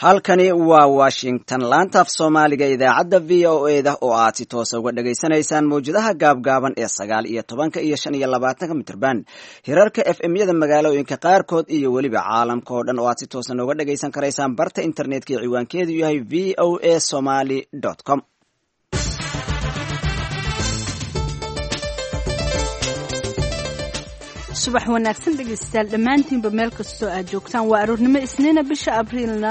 Halkani waa Washington, laanta af Soomaaliga, idaacadda VOA da oo aad si toosa uga dhagaysanaysaan mawjadaha gaabgaaban ee 19-ka iyo 25-ka mitrban, hirarka FM-yada magaalooyinka qaarkood iyo weliba caalamka oo dhan oo aad si toosa nooga dhagaysan karaysaan barta internetka ee ciwaankeedu yahay voasomali.com. Subax wanaagsan dhegaystayaal dhammaantiinba meel kastoo aad joogtaan. Waa aroornimo Isniina, bisha Abriilna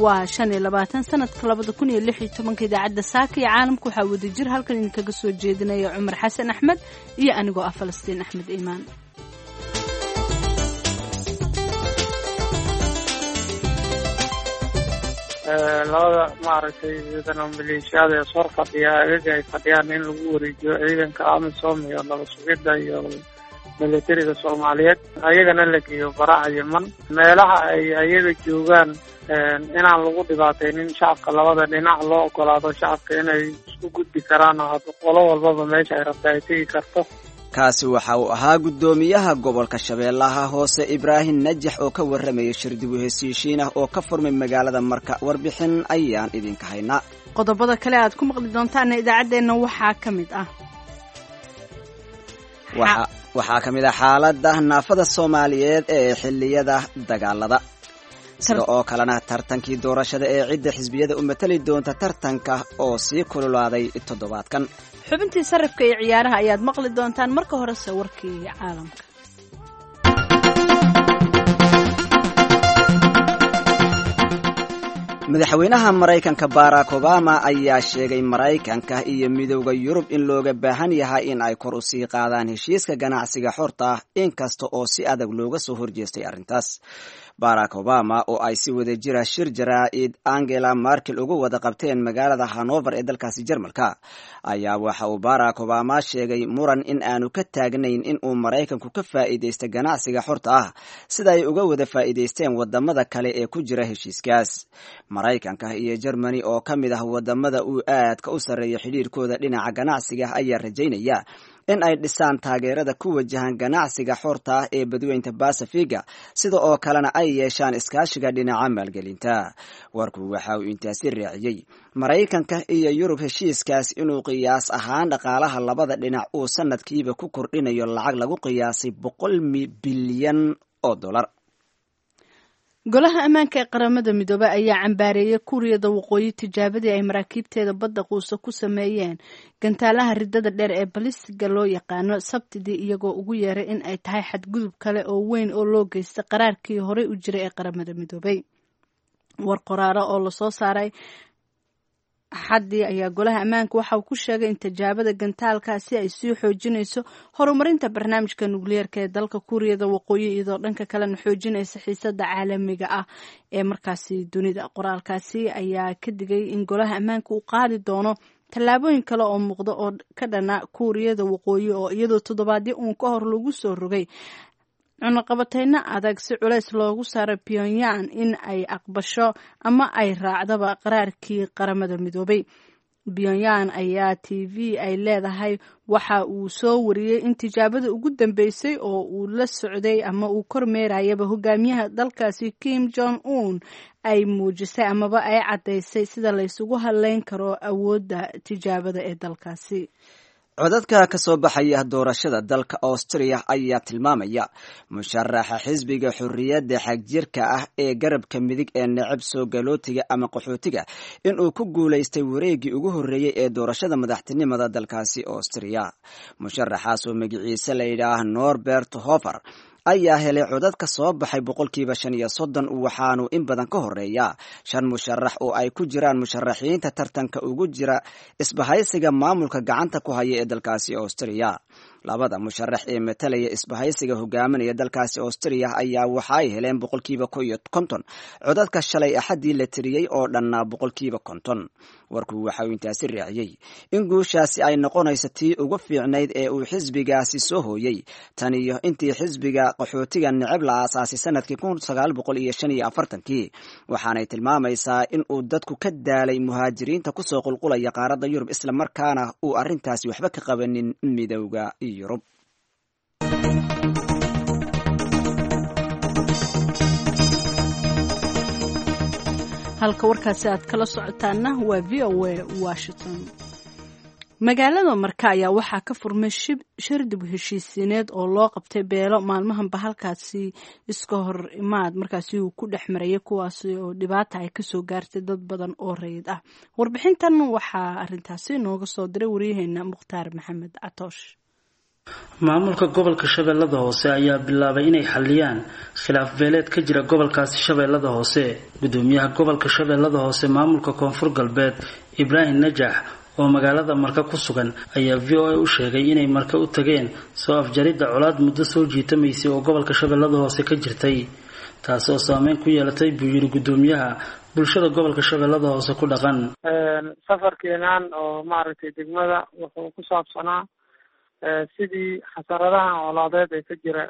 waa 25, sanadka 2016. Idaacadda saaka iyo caalamka waxaa wadajir halkan idinkaga soo jeedinaya Cumar Xasan Axmed iyo anigoo ah Falastiin Axmed Iimaan. Labada maaragtay ciidan oo maleeshiyaada ee sor fadhiya agaga ay fadhiyaan in lagu wareejiyo ciidanka AMISOM iyo nabad sugidda iyo militariga Soomaaliyeed, ayagana la geeyo baraha Yeman meelaha ay ayaga joogaan, inaan lagu dhibaataynin shacabka. Labada dhinac loo ogolaado shacabka inay isku gudbi karaan oo qolo walbaba meesha ay rabta ay tegi karto. Kaasi waxa uu ahaa guddoomiyaha gobolka Shabeellaha Hoose Ibraahim Najax oo ka warramayay shir dib u heshiishiin ah oo ka furmay magaalada Marka. Warbixin ayaan idinka haynaa. Qodobada kale aad ku maqli doontaana idaacaddeenna waxaa ka mid ah Waxaa ka mid ah xaaladda naafada Soomaaliyeed ee xilliyada dagaalada, sida oo kalena tartankii doorashada ee cidda xisbiyada u matali doonta tartanka oo sii kululaaday toddobaadkan. Xubintii sarifka iyo ciyaaraha ayaad maqli doontaan. Marka horese warkii caalamka. Madaxweynaha Maraykanka Barack Obama ayaa sheegay Maraykanka iyo Midowda Yurub in looga baahan yahay in ay kor u sii qaadaan heshiiska ganacsiga xorta ah, inkasta oo si adag looga soo horjeestay arrintaas. Barack Obama oo ay si wada jira shir jaraa'id Angela Merkel uga wada qabteen magaalada Hanover ee dalkaasi Jarmalka ayaa waxa uu Barack Obama sheegay muran in aanu ka taagnayn in uu Maraykanku ka faa'iidaysta ganacsiga xorta ah sida ay uga wada faa'iidaysteen wadamada kale ee ku jira heshiiskaas. Maraykanka iyo Germany oo ka mid ah wadamada uu aadka u sarreeya xidhiirkooda dhinaca ganacsiga ayaa rajaynaya in ay dhisaan taageerada ku wajahan ganacsiga xorta ah ee badweynta Basafiga, sida oo kalena ay yeeshaan iskaashiga dhinaca maalgelinta. Warku waxa uu intaasi raaciyey Maraykanka iyo Yurub heshiiskaas inuu qiyaas ahaan dhaqaalaha labada dhinac uu sanadkiiba ku kordhinayo lacag lagu qiyaasay 100 bilyan oo dollar. Golaha Ammaanka ee Qaramada Midoobey ayaa cambaareeyay Kuuriyada Waqooyi tijaabadii ay maraakiibteeda badda quusa ku sameeyeen gantaalaha ridada dheer ee balistiga loo yaqaano Sabtidii, iyagoo ugu yeeray in ay tahay xadgudub kale oo weyn oo loo geystay qaraarkii horey u jiray ee Qaramada Midoobey. War qoraalo oo lasoo saaray Axaddii ayaa Golaha Ammaanka waxa uu ku sheegay in tijaabada gantaalkaasi ay sii xoojinayso horumarinta barnaamijka nukliyeerka ee dalka Kuuriyada Waqooyi, iyadoo dhanka kalena xoojinaysa xiisada caalamiga ah ee markaasi dunida. Qoraalkaasi ayaa ka digay in Golaha Ammaanka uu qaadi doono tallaabooyin kale oo muuqda oo ka dhana Kuuriyada Waqooyi, oo iyadoo toddobaadyo uun ka hor lagu soo rogay cunaqabateyno adag si culays loogu saaro Pyongyang in ay aqbasho ama ay raacdaba qaraarkii Qaramada Midoobay. Pyongyang ayaa TV ay leedahay waxa uu soo wariyey in tijaabada ugu dambeysay oo uu la socday ama uu kormeerayaba hogaamiyaha dalkaasi Kim Jong Un ay muujisay amaba ay caddaysay sida laysugu hadleyn karo awoodda tijaabada ee dalkaasi. Codadka ka soo baxaya doorashada dalka Austriya ayaa tilmaamaya musharaxa xisbiga xorriyadda xagjirka ah ee garabka midig ee necab soo galootiga ama qaxootiga inuu ku guulaystay wareeggii ugu horreeyey ee doorashada madaxtinimada dalkaasi Austriya. Musharaxaas oo magiciise la yidhaah Norbert Hofer ayaa helay codad ka soo baxay 35%, waxaanu in badan ka horeeya shan musharax oo ay ku jiraan musharaxiinta tartanka ugu jira isbahaysiga maamulka gacanta ku haya ee dalkaasi Austriya. Labada musharax ee matalaya isbahaysiga hogaaminaya dalkaasi Austriya ayaa waxa ay heleen 51% codadka shalay Axaddii la tiriyey oo dhannaa 50%. Warku waxa uu intaasi raaciyey in guushaasi ay noqonayso tii ugu fiicnayd ee uu xisbigaasi soo hooyey tan iyo intii xisbiga qaxootiga neceb la aasaasay sanadkii 1945-kii, waxaanay tilmaamaysaa in uu dadku ka daalay muhaajiriinta kusoo qulqulaya qaaradda Yurub, islamarkaana uu arrintaasi waxba ka qabanin Midowda Yurub. Halka warkaasi aad kala socotaana waa V O A Washington. Magaalada Marka ayaa waxaa ka furmay shir dib u heshiisiineed oo loo qabtay beelo maalmahanba halkaasi iska hor imaad markaasi uu ku dhex marayay, kuwaasi oo dhibaata ay kasoo gaartay dad badan oo rayid ah. Warbixintan waxaa arintaasi nooga soo diray waryaheena Mukhtaar Maxamed Catoosh. Maamulka gobolka Shabeellada Hoose ayaa bilaabay inay xaliyaan khilaaf beeleed ka jira gobolkaasi Shabeellada Hoose. Gudoomiyaha gobolka Shabeellada Hoose maamulka Koonfur Galbeed Ibraahim Najax oo magaalada Marka ku sugan ayaa VOA u sheegay inay Marka u tageen soo afjaridda colaad muddo soo jiitamaysay oo gobolka Shabeellada Hoose ka jirtay, taas oo saameyn ku yeelatay buu yiri gudoomiyaha bulshada gobolka Shabeellada Hoose ku dhaqan. Safarkeenan oo maaragtay degmada wuxuu ku saabsanaa sidii xasaradahan colaadeed ee ka jira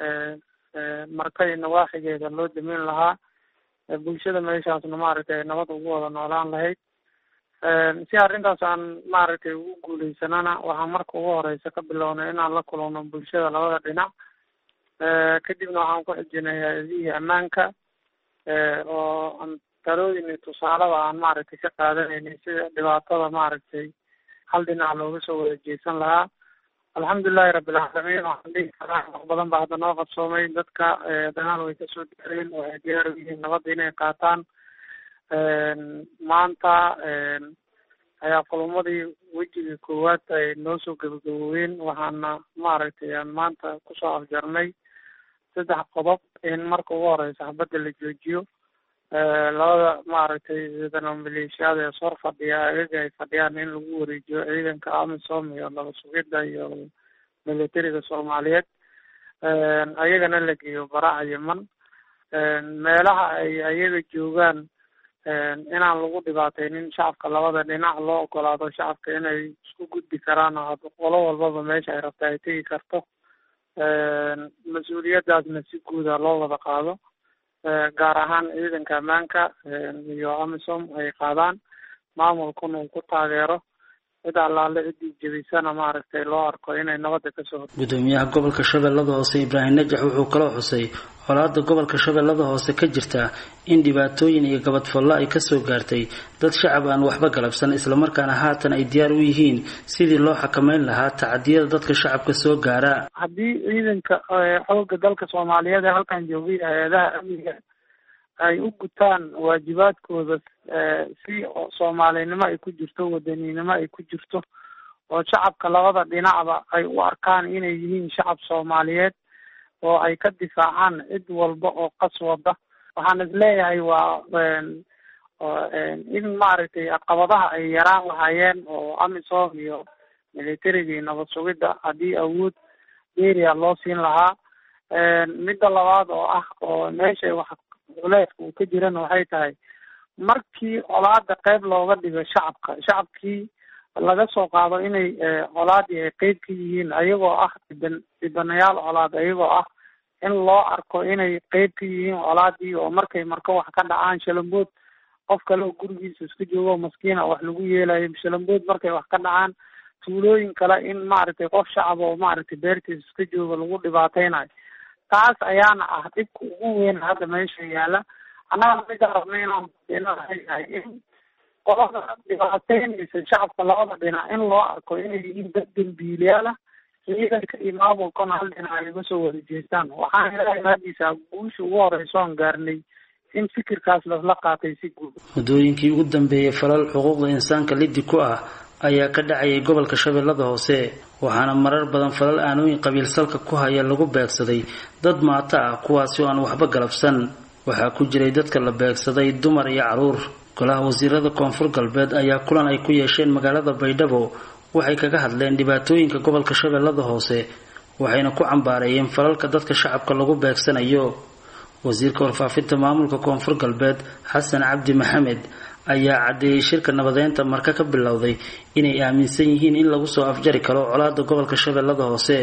Marka iyo nawaaxigeeda loo dameyn lahaa, bulshada meeshaasna maaragtay ay nabad ugu wada noolaan lahayd. Si arrintaas aan maaragtay ugu guuleysanana, waxaan marka ugu horeysa ka bilownay inaan la kulano bulshada labada dhinac. Kadibna waxaan ku xijinay hay-adihii ammaanka oo aan talooyin iyo tusaalaba aan maaragtay ka qaadanaynay sida dhibaatada maaragtay hal dhinac looga soo wada jeesan lahaa. Alxamdulilahi rabbilcaalamiin, waxaan dhihi karaa wax badan baa hadda noo qabsoomay. Dadka dagaal way kasoo gaareen, waxay diyaar u yihiin nabadda inay qaataan. Maanta ayaa kulamadii wejigii koowaad ay noo soo gabagaboobeen, waxaana maaragtay aan maanta kusoo afjarnay 3 qodob: in marka ugu horeysa xabadda la joojiyo, labada maaragtay ciidan oo maleeshiyaada ee sor fadhiya agaga ay fadhiyaan in lagu wareejiyo ciidanka AMISOM iyo nabad sugidda iyo militariga Soomaaliyeed, ayagana la geeyo baraha Yeman, meelaha ay ayaga joogaan inaan lagu dhibaateynin shacabka labada dhinac, loo ogolaado shacabka inay isku gudbi karaan oo qolo walbaba meesha ay rabta ay tegi karto, mas-uuliyadaasna si guuda loo wada qaado, gaar ahaan ciidanka ammaanka iyo AMISOM ay qaadaan, maamulkuna uu ku taageero, cid allaale ciddii jebisana maaragtay loo arko inay nabadda kasoo. Gudoomiyaha gobolka Shabeellada Hoose Ibraahim Najax wuxuu kaloo xusay colaadda gobolka Shabeellada Hoose ka jirta in dhibaatooyin iyo gabadfallo ay kasoo gaartay dad shacab aan waxba galabsan, islamarkaana haatan ay diyaar u yihiin sidii loo xakameyn lahaa tacadiyada dadka shacabka soo gaara. Haddii ciidanka xoogga dalka Soomaaliyeed ee halkan joogay hay-adaha amniga ay u gutaan waajibaadkooda si soomaalinimo ay ku jirto, wadaninimo ay ku jirto, oo shacabka labada dhinacba ay u arkaan inay yihiin shacab Soomaaliyeed oo ay ka difaacaan cid walba oo qas wada, waxaan isleeyahay waa in maaragtay caqabadaha ay yaraan lahaayeen oo AMISOM iyo militariga iyo nabad sugidda haddii awood dheeriya loo siin lahaa. Midda labaad oo ah oo meesha wax culeeska uu ka jirana waxay tahay markii colaada qeyb looga dhigo shacabka, shacabkii laga soo qaado inay colaadii ay qeyb ka yihiin ayagoo ah dhibanayaal colaad, ayagoo ah in loo arko inay qeyb ka yihiin colaadii, oo markay marka wax ka dhacaan shalambood qof kale oo gurigiisa iska joogo maskiina wax lagu yeelayo, shalambood markay wax ka dhacaan tuulooyin kale in maaragtay qof shacab oo maaragtay beertiisa iska jooga lagu dhibaateynayo. Taas ayaana ah dhibka ugu weyn hadda meesha yaala. Annaga midaan rabnay inaan in qolada dhibaateynaysa shacabka labada dhinac in loo arko inay yihiin dad dambiilayaal ah, ciidanka iyo maamulkana hal dhinac ay uga soo wada jeestaan. Waxaan ilaahay mahadiisa guusha ugu horeysa oon gaarnay in fikirkaas lasla qaatay si guud. Muddooyinkii ugu dambeeyay falal xuquuqda insaanka liddi ku ah ayaa ka dhacayay gobolka Shabeellada Hoose, waxaana marar badan falal aanooyin qabiil salka ku haya lagu beegsaday dad maata ah kuwaasi oo aan waxba galabsan. Waxaa ku jiray dadka la beegsaday dumar iyo caruur. Golaha wasiirada Koonfur Galbeed ayaa kulan ay ku yeesheen magaalada Baydhabo waxay kaga hadleen dhibaatooyinka gobolka Shabeellada Hoose, waxayna ku cambaareeyeen falalka dadka shacabka lagu beegsanayo. Wasiirka warfaafinta maamulka Koonfur Galbeed Xasan Cabdi Maxamed ayaa caddeeyay shirka nabadeynta Marka ka bilowday inay aaminsan yihiin in lagu soo afjari karo colaadda gobolka Shabeellada Hoose.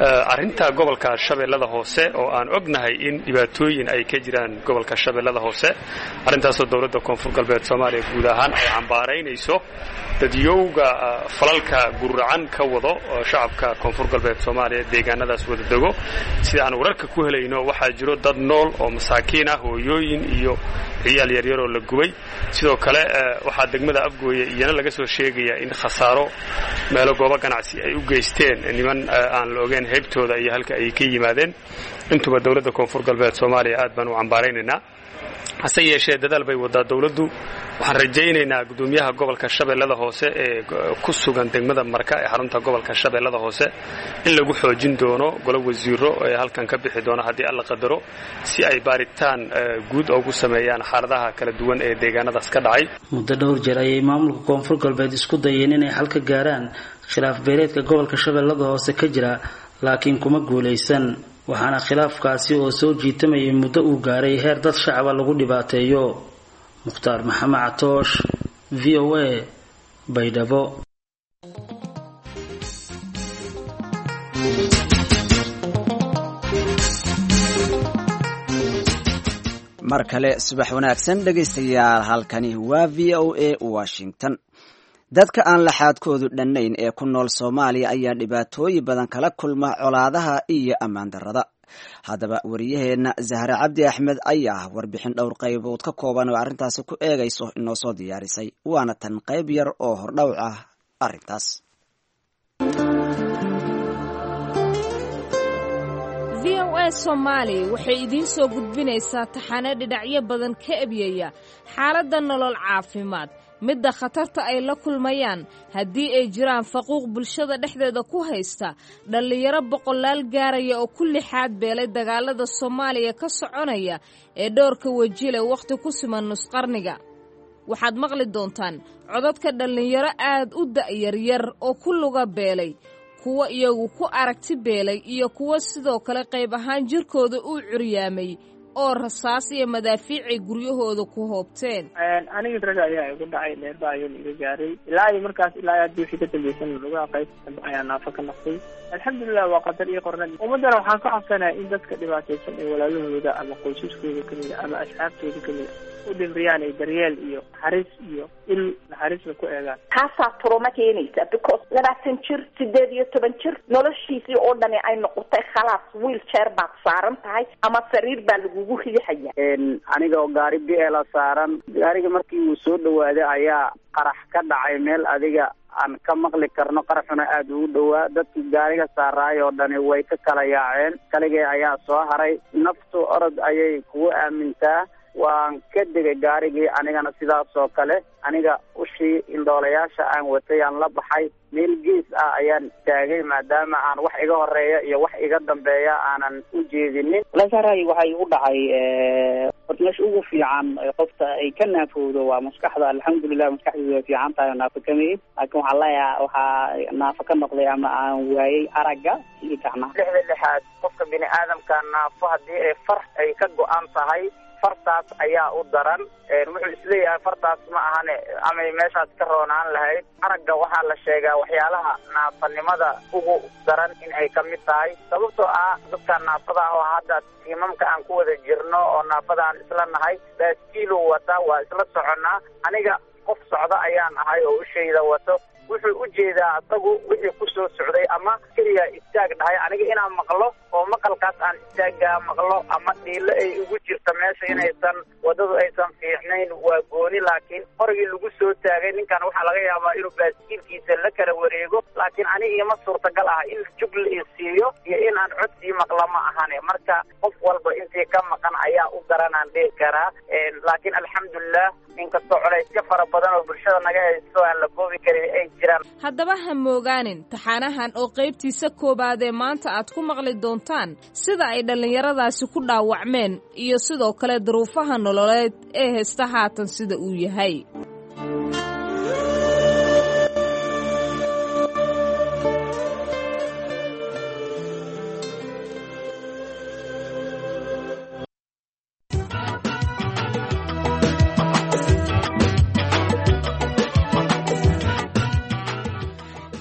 Arrinta gobolka Shabeellada Hoose oo aan ognahay in dhibaatooyin ay ka jiraan gobolka Shabeellada Hoose, arrintaasoo dowladda Koonfur Galbeed Soomaaliya guud ahaan ay cambaaraynayso dadyowga falalka guracan ka wado shacabka Koonfur Galbeed Soomaaliya deegaanadaas wada dego. Sida aan wararka ku helayno waxaa jiro dad nool oo masaakiin ah, hooyooyin iyo ciyaal yaryaroo la gubay. Sidoo kale waxaa degmada Afgooye iyana laga soo sheegayaa in khasaaro meelo goobo ganacsi ay u geysteen niman aan la ogeyn heybtooda iyo halka ay ka yimaadeen. Intuba dowladda Koonfur Galbeed Soomaaliya aad baan u cambaaraynaynaa, hase yeeshee dadaal bay wadaa dowladdu. Waxaan rajaynaynaa guddoomiyaha gobolka Shabeellada Hoose ee ku sugan degmada Marka ee xarunta gobolka Shabeellada Hoose in lagu xoojin doono golo wasiiro ee halkan ka bixi doona haddii Alla qadaro, si ay baaritaan guud ugu sameeyaan xaaladaha kala duwan ee deegaanadaas ka dhacay. Muddo dhowr jeer ayay maamulka Koonfur Galbeed isku dayeen inay xal ka gaaraan khilaaf beeleedka gobolka Shabeellada Hoose ka jira, laakiin kuma guulaysan, waxaana khilaafkaasi oo soo jiitamayay muddo uu gaaray heer dad shacaba lagu dhibaateeyo. Mukhtaar Maxamed Catoosh, V O A, Baydhabo. Mar kale subax wanaagsan dhegaystayaal, halkani waa V O A Washington. Dadka aan laxaadkoodu dhannayn ee ku nool Soomaaliya ayaa dhibaatooyin badan kala kulma colaadaha iyo ammaan darrada. Haddaba wariyaheenna Zahre Cabdi Axmed ayaa warbixin dhowr qaybood ka kooban oo arrintaasi ku eegayso inoo soo diyaarisay, waana tan qayb yar oo hordhowc ah arrintaas. V O A Soomaali waxay idiin soo gudbinaysaa taxane dhinacyo badan ka ebyaya xaaladda nolol caafimaad, midda khatarta ay la kulmayaan haddii ay jiraan faquuq bulshada dhexdeeda ku haysta dhallinyaro boqolaal gaaraya oo ku lixaad beelay dagaalada Soomaaliya ka soconaya ee dhowrka wejile wakhti ku siman nusqarniga. Waxaad maqli doontaan codadka dhallinyaro aad u da'yaryar oo ku luga beelay, kuwo iyagu ku aragti beelay iyo kuwo sidoo kale qayb ahaan jirkooda uu curyaamay oo rasaas iyo madaafiicay guryahooda ku hoobteen. Aniga raga ayaa igu dhacay, dheerba ayuuna iga gaaray ilaa iyo markaas ilaa hadii wixii ka dambaysan lugaha qaybta dambe ayaa naafo ka noqday. Alxamdulilah, waa qadar iyo qornad. Ummaddana waxaan ka codsanayaa in dadka dhibaataysan ee walaalahooda ama qoysaskooda kamida ama asxaabtooda kamida u dhimriyaan ay daryeel iyo naxariis iyo il naxariisna ku eegaan. Taasaa turuma keenaysa because 20 jir, 18 jir, noloshiisii oo dhani ay noqotay khalaas wheelchair baad saaran tahay ama sariir baa lagugu riixaya. Aniga oo gaari biela saaran, gaariga markii uu soo dhawaaday ayaa qarax ka dhacay meel adiga aan ka maqli karno, qaraxuna aada ugu dhowaa. Dadkii gaariga saaraay oo dhani way ka kala yaaceen, kaligee ayaa soo haray. Naftu orod ayay kugu aamintaa. Waan ka degay gaarigii, anigana sidaas oo kale aniga ushii indhoolayaasha aan watay aan la baxay, meel gees ah ayaan taagay maadaama aan wax iga horeeya iyo wax iga dambeeya aanan u jeedinin. Walahi waxaa igu dhacay, horta meesha ugu fiican qofta ay ka naafowdo waa maskaxda. Alxamdulilah, maskaxdeedu way fiican tahay oo naafo kamid, laakiin waxaa leeyaha waxaa naafo ka noqday ama aan waayay aragga iyo gacmaha. Lixda lixaad qofka bini aadamka naafo haddii ay far ay ka go-an tahay, fartaas ayaa u daran. Wuxuu isleeyahay fartaas ma ahane amay meeshaas ka roonaan lahayd. Aragga waxaa la sheegaa waxyaalaha naafanimada ugu daran in ay ka mid tahay, sababtoo ah dadka naafada ah oo hadda tiimamka aan ku wada jirno oo naafada aan isla nahay, baaskiilu wata waa isla soconnaa. Aniga qof socda ayaan ahay oo ushayda wato. Wuxuu u jeedaa asagu wixii ku soo socday ama keliya istaag dhahay, aniga inaan maqlo oo maqalkaas aan istaaggaa maqlo ama dhiilo ay ugu jirto meesha inaysan waddadu aysan fiicnayn waa gooni, laakiin qorigii lagu soo taagay ninkan waxaa laga yaabaa inuu baaskiilkiisa la kala wareego, laakiin aniga ima suurtagal ah in jug la isiiyo iyo in aan codsii maqlo ma ahane. Marka qof walba intii ka maqan ayaa u daranaan dhihi karaa, laakiin alxamdulilah inkastoo culaysyo fara badan oo bulshada naga haysto aan la koobi karin ay jiraan. Haddaba ha moogaanin taxaanahan oo qaybtiisa koowaad ee maanta aad ku maqli doontaan sida ay dhallinyaradaasi ku dhaawacmeen iyo sidoo kale duruufaha nololeed ee haysta haatan sida uu yahay.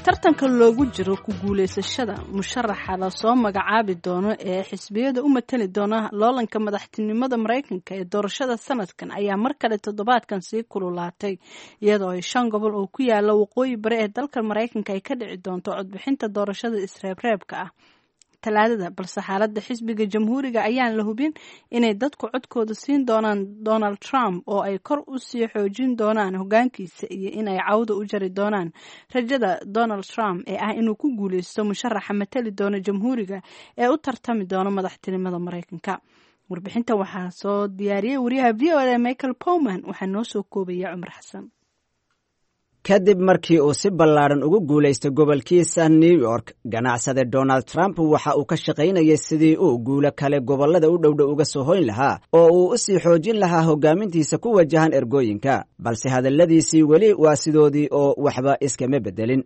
Tartanka loogu jiro ku guulaysashada musharaxa lasoo magacaabi doono ee xisbiyada u matali doona loolanka madaxtinimada Mareykanka ee doorashada sanadkan ayaa mar kale toddobaadkan sii kululaatay, iyadoo ay shan gobol oo ku yaala waqooyi bari ee dalka Mareykanka ay ka dhici doonto codbixinta doorashada isreebreebka ah. Talaadada, balse xaaladda xisbiga Jamhuuriga ayaan la hubin inay dadku codkooda siin doonaan Donald Trump oo ay kor u sii xoojin doonaan hoggaankiisa iyo inay cawda u jari doonaan rajada Donald Trump ee ah inuu ku guuleysto musharaxa matali doona Jamhuuriga ee u tartami doona madaxtinimada Maraykanka. Warbixinta waxaa soo diyaariyey wariyaha VOA Michael Powman, waxaa noo soo koobaya Cumar Xasan. Kadib markii uu si ballaadhan ugu guulaystay gobolkiisa New York, ganacsade Donald Trump waxa uu ka shaqaynayay sidii uu guulo kale gobollada u dhowdhow uga soo hoyn lahaa oo uu u sii xoojin lahaa hoggaamintiisa ku wajahan ergooyinka, balse hadalladiisii weli waa sidoodii oo waxba iskama beddelin.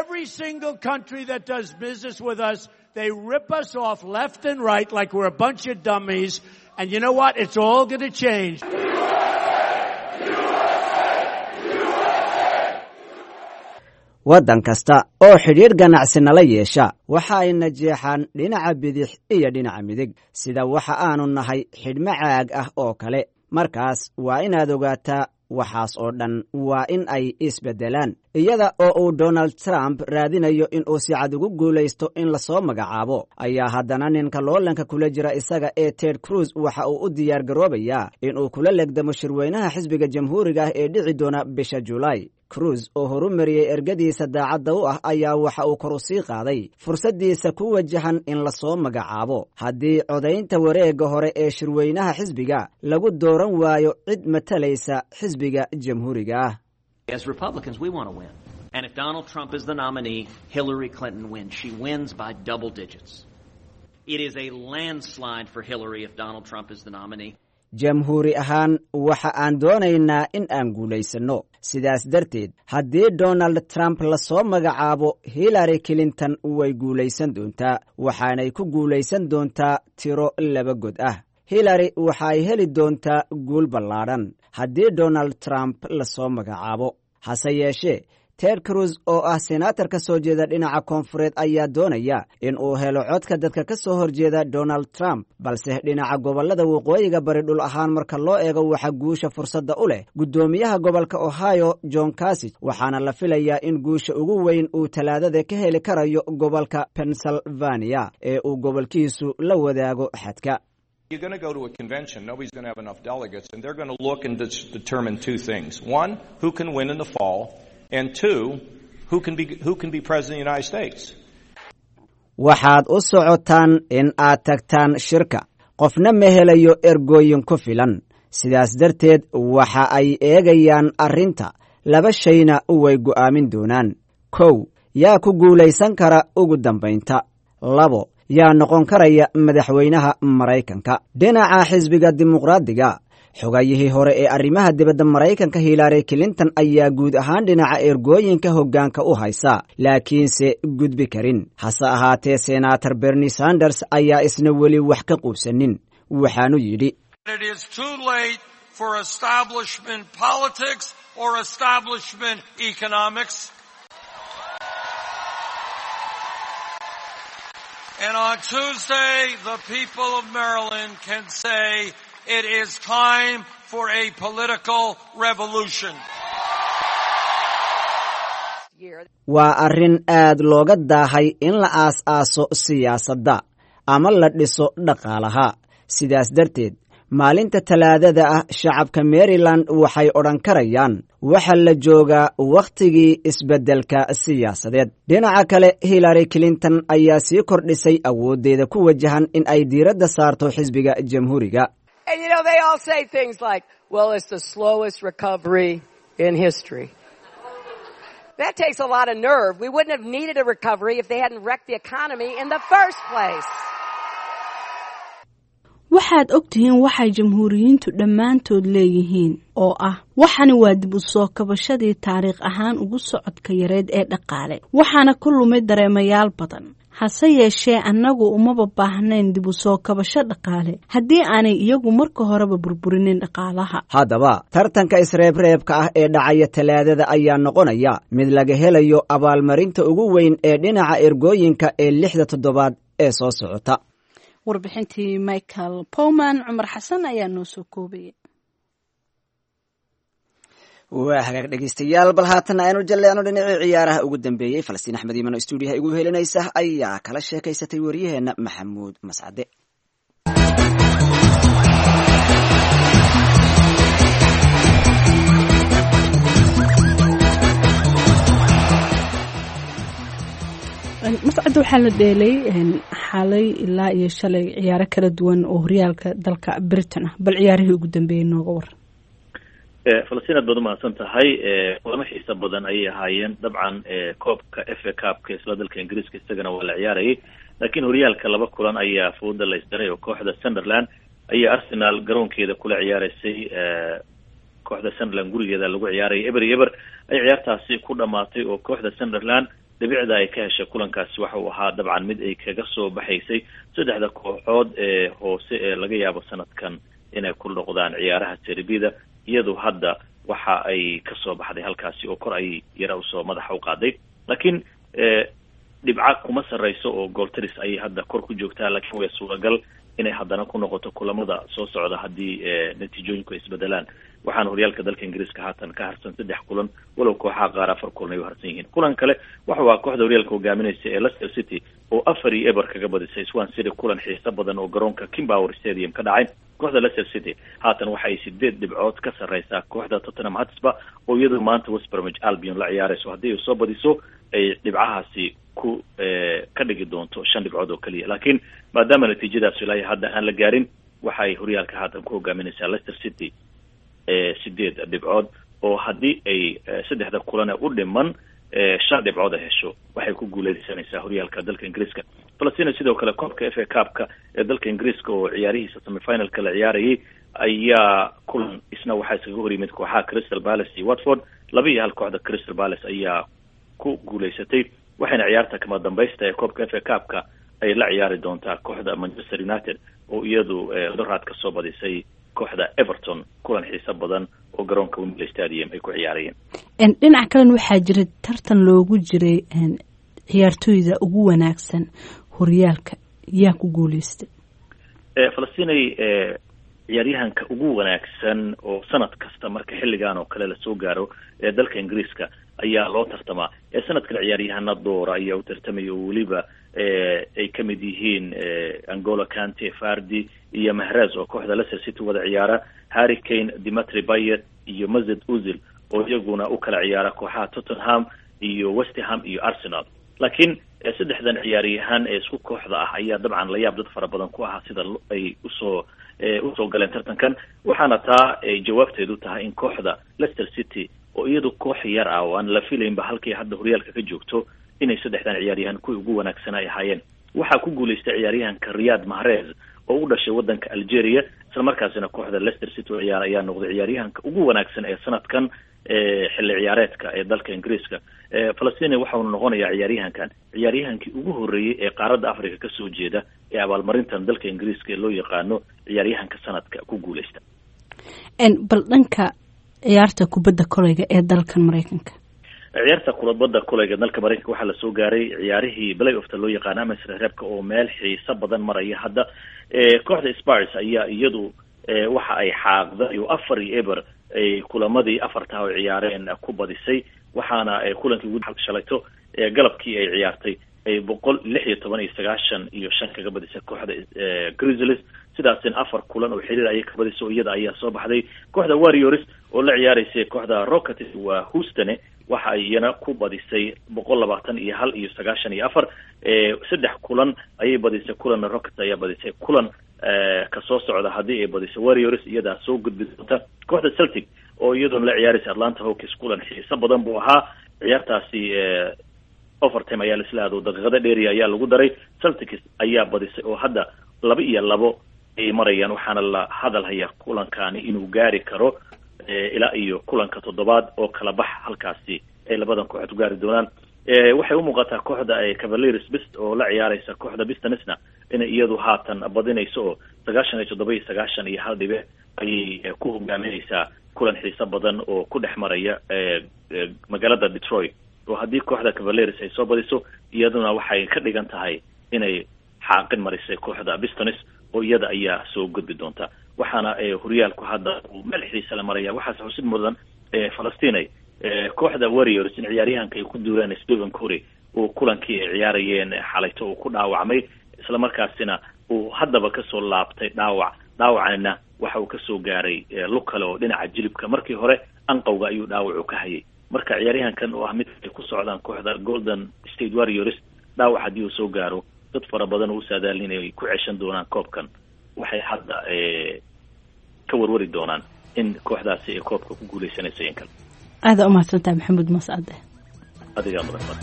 Every single country that does business with us, they rip us off left and right like we're a bunch of dummies. And you know what? It's all going to change. Waddan kasta oo xidhiidh ganacsi nala yeesha waxa ay najeexaan dhinaca bidix iyo dhinaca midig, sida waxa aanu nahay xidhmo caag ah oo kale. Markaas waa inaad ogaataa, waxaas oo dhan waa in ay isbeddelaan. Iyada oo uu Donald Trump raadinayo in uu si cad ugu guulaysto in lasoo magacaabo, ayaa haddana ninka loolanka kula jira isaga ee Ted Cruz waxa uu u diyaar garoobayaa inuu kula legdamo shirweynaha xisbiga Jamhuuriga ah ee dhici doona bisha Julaay. Cruz oo horumariyey ergadiisa daacadda u ah ayaa waxa uu kor u sii qaaday fursaddiisa ku wajahan in lasoo magacaabo haddii codaynta wareegga hore ee shirweynaha xisbiga lagu dooran waayo cid matalaysa xisbiga Jamhuuriga ah. As Republicans, we want to win. And if Donald Trump is the nominee, Hillary Clinton wins. She wins by double digits. It is a landslide for Hillary if Donald Trump is the nominee. Jamhuuri ahaan waxa aan doonaynaa in aan guulaysanno. Sidaas darteed, haddii Donald Trump lasoo magacaabo, Hillary Clinton way guulaysan doontaa, waxaanay ku guulaysan doontaa tiro laba god ah. Hillary waxa ay heli doontaa guul ballaadhan haddii Donald Trump lasoo magacaabo. Hase yeeshee, Ted Cruz oo ah senaatar ka soo jeeda dhinaca koonfureed ayaa doonaya in uu helo codka dadka ka soo horjeeda Donald Trump, balse dhinaca gobollada waqooyiga bari dhul ahaan marka loo eego waxa guusha fursadda u leh guddoomiyaha gobolka Ohio John Kasich, waxaana la filayaa in guusha ugu weyn uu Talaadada ka heli karayo gobolka Pennsylvania ee uu gobolkiisu la wadaago xadka. You're going to go to a convention, nobody's going to have enough delegates, and they're going to look and determine two things. One, who can win in the fall, and two, who can be president of the United States. Waxaad u socotaan in aad tagtaan shirka, qofna ma helayo ergooyin ku filan. Sidaas darteed waxa ay eegayaan arrinta, laba shayna way go'aamin doonaan: kow, yaa ku guulaysan kara ugu dambaynta; labo, yaa noqon karaya madaxweynaha Maraykanka? Dhinaca xisbiga Dimuqraadiga, xogayihii hore ee arrimaha dibadda Maraykanka Hillary Clinton ayaa guud ahaan dhinaca ergooyinka hoggaanka u haysa, laakiinse gudbi karin. Hase ahaatee, Senaatar Bernie Sanders ayaa isna weli wax ka quubsanin, waxaanu yidhi: It is too late for establishment politics or establishment economics. And on Tuesday, the people of Maryland can say it is time for a political revolution. Waa arrin aad looga daahay in la aas-aaso siyaasadda ama la dhiso dhaqaalaha. Sidaas darteed, maalinta Talaadada ah shacabka Maryland waxay odhan karayaan waxa la joogaa wakhtigii isbeddelka siyaasadeed. Dhinaca kale, Hillary Clinton ayaa sii kordhisay awooddeeda ku wajahan in ay diiradda saarto xisbiga Jamhuuriga. And they all say things like, "Well, it's the slowest recovery in history." That takes a lot of nerve. We wouldn't have needed a recovery if they hadn't wrecked the economy in the first place. Waxaad ogtihiin waxay Jamhuuriyiintu dhammaantood leeyihiin oo ah waxani waa dib u soo kabashadii taariikh ahaan ugu socodka yareed ee dhaqaale, waxaana ku lumay dareemayaal badan. Hase yeeshee, annagu umaba baahnayn dib u soo kabasho dhaqaale haddii aanay iyagu marka horeba burburinin dhaqaalaha. Haddaba, tartanka isreebreebka ah ee dhacaya Talaadada ayaa noqonaya mid laga helayo abaalmarinta ugu weyn ee dhinaca ergooyinka ee 6da toddobaad ee soo socota. Warbixintii Michael Powman, Cumar Xasan ayaa noo soo koobayay. Waa hagaag dhegeystayaal, bal haatan aynu jalleecno dhinacii ciyaaraha ugu dambeeyey. Falastiin Axmed Iiman oo stuudiyaha igu helinaysa ayaa kala sheekaysatay waryaheena Maxamuud Mascade. Mascadda, waxaa la dheelay xalay ilaa iyo shalay ciyaaro kala duwan oo horyaalka dalka Britain ah. Bal ciyaarihii ugu dambeeyey nooga waran. Falastiin, aad baad umahadsan tahay. Kulamo xiisa badan ayay ahaayeen. Dabcan koobka FA Cupka isla dalka Ingiriiska isagana waa la ciyaarayay, laakiin horyaalka laba kulan ayaa fooda la isdaray oo kooxda Sunderland ayaa Arsenal garoonkeeda kula ciyaaraysay. Kooxda Sunderland gurigeeda lagu ciyaarayay, 0-0 ay ciyaartaasi ku dhamaatay, oo kooxda Sunderland dhibicda ay ka heshay kulankaasi waxa uu ahaa dabcan mid ay kaga soo baxaysay saddexda kooxood ee hoose ee laga yaabo sanadkan inay ku noqdaan ciyaaraha Serie B-da. Iyadu hadda waxa ay kasoo baxday halkaasi oo kor ay yara usoo madaxa u qaaday, laakiin dhibca kuma sarreyso oo gooltiris ayay hadda kor ku joogtaa, laakiin way suuragal inay haddana ku noqoto kulamada soo socda haddii natiijooyinku ay isbedelaan. Waxaana horyaalka dalka Ingiriiska haatan ka harsan saddex kulan, walow kooxaha qaar afar kulan ay u harsan yihiin. Kulan kale waxa uu ahaa kooxda horyaalka hogaaminaysa ee Leicester City oo 4-0 kaga badisay Swansea City, kulan xiiso badan oo garoonka King Power Stadium ka dhacay. Kooxda Leicester City haatan waxa ay 8 dhibcood ka sarreysaa kooxda Tottenham Hotspur oo iyadu maanta West Bromwich Albion la ciyaarayso. Haddii ay soo badiso, ay dhibcahaasi ku ka dhigi doonto 5 dhibcood oo keliya, laakiin maadaama natiijadaas ilaa hadda aan la gaarin, waxa ay horyaalka haatan ku hogaaminaysaa Leicester City 8 dhibcood, oo haddii ay saddexda kulane u dhiman 5 dhibcood ay hesho, waxay ku guuleysanaysaa horyaalka dalka Ingiriiska. Falastina, sidoo kale koobka FA Cupka ee dalka Ingiriiska oo ciyaarihiisa semifinalka la ciyaarayay ayaa kulan isna waxaa iskaga hor yimid kooxaha Crystal Palace iyo Watford. 2-1 kooxda Crystal Palace ayaa ku guuleysatay, waxayna ciyaarta kama dambaysta ee koobka FA Cupka ay la ciyaari doontaa kooxda Manchester United oo iyadu doraad ka soo badisay kooxda Everton, kulan xiiso badan oo garoonka Wembley Stadium ay ku ciyaarayeen. Dhinaca kalena waxaa jiray tartan loogu jiray ciyaartooyda ugu wanaagsan horyaalka. Yaa ku guuleystay? Falastinay, ciyaaryahanka ugu wanaagsan oo sanad kasta marka xilligan oo kale lasoo gaaro ee dalka Ingiriiska ayaa loo tartamaa. Ee sanadkan ciyaaryahana doora ayaa u tartamaya, oo weliba ay kamid yihiin N'Golo Kante, Vardy iyo Mahrez oo kooxda Leicester City wada ciyaara, Harry Kane, Dimitri Payet iyo Mesut Ozil oo iyaguna u kala ciyaara kooxaha Tottenham iyo West Ham iyo Arsenal. Laakiin saddexdan ciyaaryahan ee isku kooxda ah ayaa dabcan layaab dad fara badan ku ahaa sida ay usoo galeen tartankan, waxaana taa ay jawaabteedu tahay in kooxda Leicester City oo iyadu koox yar ah oo aan la filaynba halkay hadda horyaalka ka joogto inay saddexdan ciyaaryahan kuwii ugu wanaagsanaa ay ahaayeen. Waxaa ku guulaystay ciyaaryahanka Riyad Mahrez oo u dhashay wadanka Algeria, isla markaasina kooxda Leicester City oo ciyaara ayaa noqday ciyaaryahanka ugu wanaagsan ee sanadkan xilli ciyaareedka ee dalka Ingiriiska. Falastina, waxaunu noqonayaa ciyaaryahankan ciyaaryahankii ugu horreeyey ee qaaradda Africa kasoo jeeda ee abaalmarintan dalka Ingiriiska ee loo yaqaano ciyaaryahanka sanadka ku guuleysta. Bal dhanka ciyaarta kubadda koleyga ee dalkan Mareykanka. Ciyaarta kubadda koleyga dalka Mareykanka waxaa lasoo gaaray ciyaarihii play offta loo yaqaano ama isreebka oo meel xiiso badan maraya hadda. Kooxda Spurs ayaa iyadu waxa ay xaaqday oo 4-0 ay kulamadii afartaa oo ciyaareen ku badisay, waxaana kulankii ugu shalayto galabkii ay ciyaartay ay 116 iyo 95 kaga badisay kooxda Grizzlies. Sidaasina afar kulan oo xiriir ayay ka badisay oo iyada ayaa soo baxday. Kooxda Warriors oo la ciyaaraysay kooxda Rockets, waa Houston, waxa ay iyana ku badisay 121 iyo 94. Saddex kulan ayay badisay, kulanna Rockets ayaa badisay. Kulan ka soo socda haddii ay badiso Warriors, iyadaa soo gudbi doonta. Kooxda Celtic oo iyaduna la ciyaaraysa Atlanta Hawks, kulan xiiso badan buu ahaa ciyaartaasi. Overtime ayaa laisla aado, daqiiqada dheeriya ayaa lagu daray. Celtics ayaa badisay oo hadda 2-2 ay marayaan, waxaana la hadal hayaa kulankaani inuu gaari karo ilaa iyo kulanka toddobaad oo kala bax halkaasi ay labadan kooxood ku gaari doonaan. Waxay umuuqataa kooxda Cavaliers bist oo la ciyaaraysa kooxda Pistonsna inay iyadu haatan badinayso, oo 97 iyo 91 dhibic ayay ku hogaaminaysaa kulan xiiso badan oo ku dhex maraya magaalada Detroit, oo haddii kooxda Cavaliers ay soo badiso, iyaduna waxay ka dhigan tahay inay xaaqin marisay kooxda Pistons oo iyada ayaa soo gudbi doonta. Waxaana horyaalku hadda uu meel xiisa la maraya. Waxaase xusid mudan Falastinay kooxda Warriors in ciyaaryahanka ay ku duuleen Stephen Curry uu kulankii ay ciyaarayeen xalayto uu ku dhaawacmay, isla markaasina uu haddaba kasoo laabtay dhaawac. Dhaawacna waxa uu kasoo gaaray lug kale oo dhinaca jilibka, markii hore anqowga ayuu dhaawacu ka hayay. Marka ciyaaryahankan oo ah mid ay ku socdaan kooxda Golden State Warriors, dhaawac haddii uu soo gaaro dad fara badan oo u saadaalin inay ku ceshan doonaan koobkan, waxay hadda ka warwari doonaan in kooxdaasi ay koobka ku guuleysanayso in kale. Aada umahadsantahay Maxamuud Mascade. Adigaa mudan mar.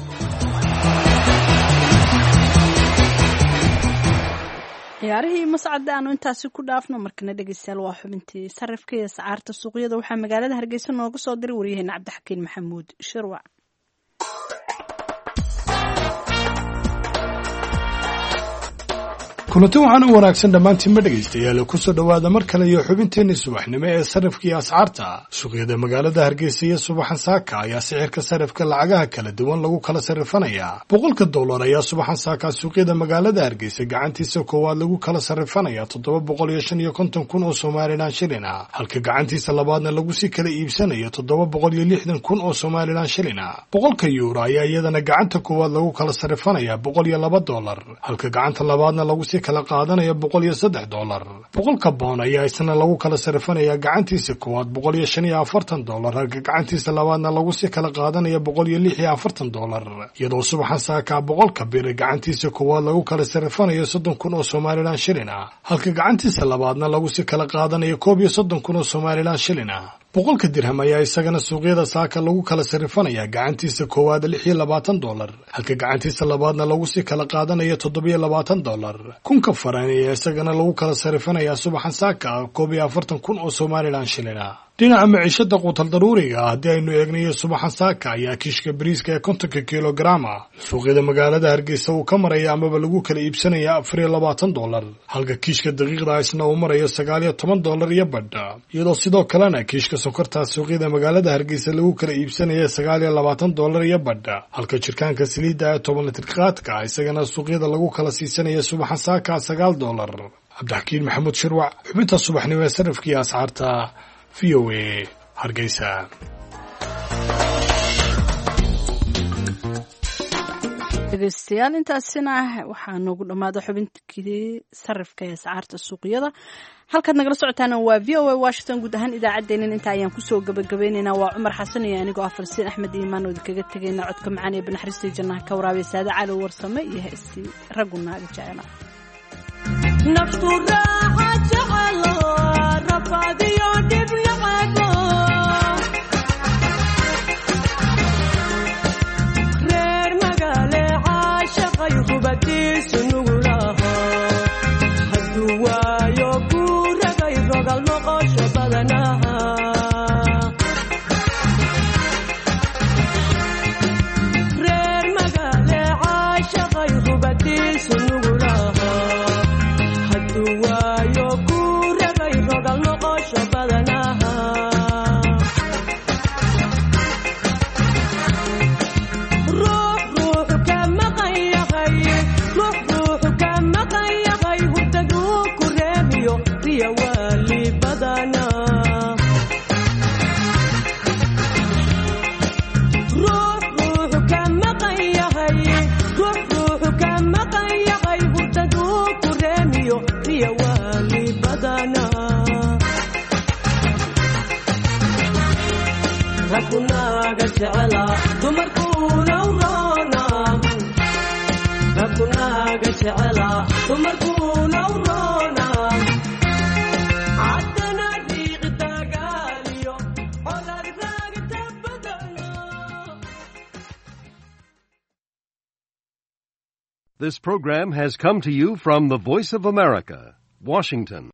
Ciyaarihii Mascade aanu intaasi ku dhaafno. Markana dhegeystayaal, waa xubintii sarifka iyo sacaarta suuqyada. Waxaa magaalada Hargeysa nooga soo diray waryaheena Cabdixakiin Maxamuud Shirwac. Kulanti waxaan u wanaagsan dhammaantiinma dhegaystayaal, kusoo dhowaada mar kale iyo xubinteenni subaxnimo ee sarifka iyo ascaarta. Suuqyada magaalada Hargeysa iyo subaxan saaka ayaa sicirka sarifka lacagaha kala duwan lagu kala sarifanayaa. $100 ayaa subaxan saaka suuqyada magaalada Hargeysa gacantiisa koowaad lagu kala sarifanayaa 755,000 oo Somalilan shilin ah, halka gacantiisa labaadna lagu sii kala iibsanayo 760,000 oo Somalilan shilin ah. €100 ayaa iyadana gacanta koowaad lagu kala sarifanayaa $102, halka gacanta labaadna lagu sii kala qaadanaya $103. £100 ayaa isna lagu kala sarifanayaa gacantiisa koowaad $145, halka gacantiisa labaadna lagu sii kala qaadanaya $146, iyadoo subaxan saakaa 100-ka bir gacantiisa koowaad lagu kala sarifanayo 30,000 oo Somalilan shilin ah, halka gacantiisa labaadna lagu sii kala qaadanayo 31,000 oo Somalilan shilin ah. 100-ka dirham ayaa isagana suuqyada saaka lagu kala sarifanayaa gacantiisa koowaad $26, halka gacantiisa labaadna lagu sii kala qaadanayo $27. 1,000-ka faran ayaa isagana lagu kala sarifanayaa subaxan saaka 41,000 oo Somalilan shilin ah. Dhinaca maciishada quutal daruuriga ah haddii aynu eegnayo, subaxan saaka ayaa kiishka bariiska ee 50-ka kilograma suuqyada magaalada Hargeysa uu ka maraya amaba lagu kala iibsanaya $24, halka kiishka daqiiqda isna uu marayo $19 iyo badha, iyadoo sidoo kalena kiishka sonkorta suuqyada magaalada Hargeysa lagu kala iibsanaya $29 iyo badha, halka jirkaanka saliidda ee 10 litir qaadka isagana suuqyada lagu kala siisanaya subaxan saaka $9. Cabdixakiin Maxamuud Shirwac, xubinta subaxnimo ee sarifkiiyo ascaarta, VOA, Hargeysa. Dhegeystayaal, intaasina waxaa noogu dhammaada xubintii sarifka ee ascaarta suuqyada. Halkaad nagala socotaana waa VOA Washington. Guud ahaan idaacaddeennan inta ayaan kusoo gabagabaynaynaa. Waa Cumar Xasan iyo anigoo ah Falsiin Axmed Iimaan oo idinkaga tegayna codka macaan ee banaxariistii jannaha ka waraabiya Saade Cali Warsame iyo heestii Raggu Naaga Jecela. Naftu raaxa jecelo, rafaadiyo dhib nacabo, reer magaale caashaqay hubadiisu nugulaho, hadduu waayo ku ragay rogal noqosho badanaha. Reer magaale caashaqay hubadiisu nugulaho, hadduu waayo ku ragay rogal noqosho badanaha. Ruux ruuxu ka maqan yahay, ruux ruuxu ka maqan yahay, hurdaduu ku reebiyo riya waali badana. Ruux ruuxu ka maqan yahay, ruux ruuxu ka maqan yahay, hurdaduu ku reemiyo riya waali badana. Raggunaaga jecela, dumarkuuna u roona. Raggunaaga jecela, dumarkuuna u roona. Caddana dhiiqi dagaaliyo colaad raagta badana. This program has come to you from the Voice of America, Washington.